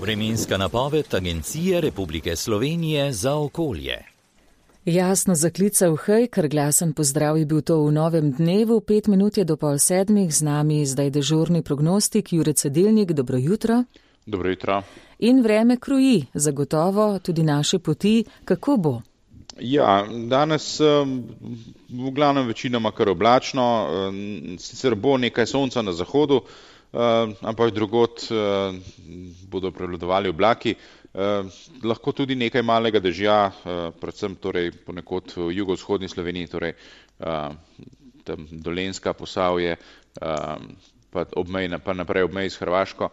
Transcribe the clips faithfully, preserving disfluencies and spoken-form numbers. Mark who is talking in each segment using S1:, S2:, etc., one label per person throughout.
S1: Vremenska napoved Agencije Republike Slovenije za okolje.
S2: Jasno zaklical hej, ker glasen pozdrav je bil to v novem dnevu. Pet minut je do pol sedmih, z nami zdaj dežurni prognostik Jure Cedilnik. Dobro jutro.
S3: Dobro jutro.
S2: In vreme kruji, zagotovo tudi naše poti. Kako bo?
S3: Ja, danes v glavnem večinoma kar oblačno, sicer bo nekaj sonca na zahodu, ampak drugod bodo prevladovali oblaki. Lahko tudi nekaj malega dežja, predvsem torej ponekod v jugovzhodni Sloveniji, torej tam Dolenjska, Posavje, pa obmej, pa naprej obmej s Hrvaško.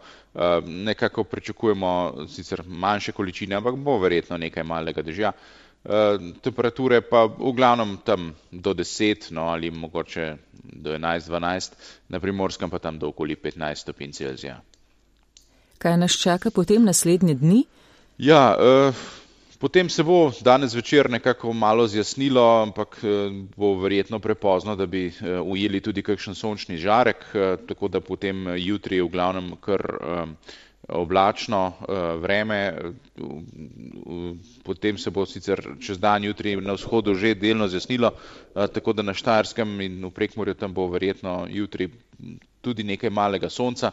S3: Nekako pričakujemo sicer manjše količine, ampak bo verjetno nekaj malega dežja. Temperature pa v glavnem tam do deset, no ali mogoče do enajst, dvanajst, na Primorskem pa tam do okoli petnajst stopinj Celzija.
S2: Kaj nas čaka potem naslednje dni?
S3: Ja, eh, potem se bo danes večer nekako malo zjasnilo, ampak eh, bo verjetno prepozno, da bi eh, ujeli tudi kakšen sončni žarek, eh, tako da potem jutri v glavnem kar eh, oblačno vreme, potem se bo sicer čez dan jutri na vzhodu že delno zjasnilo, tako da na Štajerskem in v Prekmurju tam bo verjetno jutri tudi nekaj malega sonca,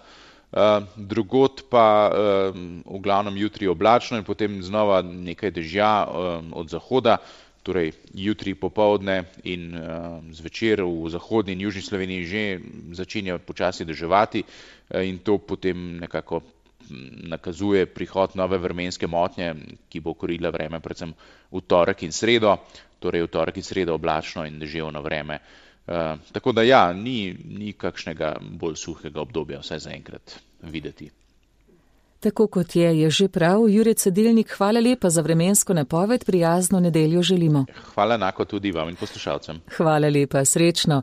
S3: drugod pa v glavnem jutri oblačno in potem znova nekaj dežja od zahoda, torej jutri popoldne in zvečer v zahodni in južni Sloveniji že začenja počasi deževati in to potem nekako nakazuje prihod nove vremenske motnje, ki bo korila vreme predvsem v torek in sredo, torej v torek in sredo oblačno in deževno vreme. Uh, tako da ja, ni, ni kakšnega bolj suhega obdobja, vsaj zaenkrat videti.
S2: Tako kot je, je že prav. Jure Cedilnik, hvala lepa za vremensko napoved, prijazno nedeljo želimo.
S3: Hvala enako tudi vam in poslušalcem.
S2: Hvala lepa, srečno.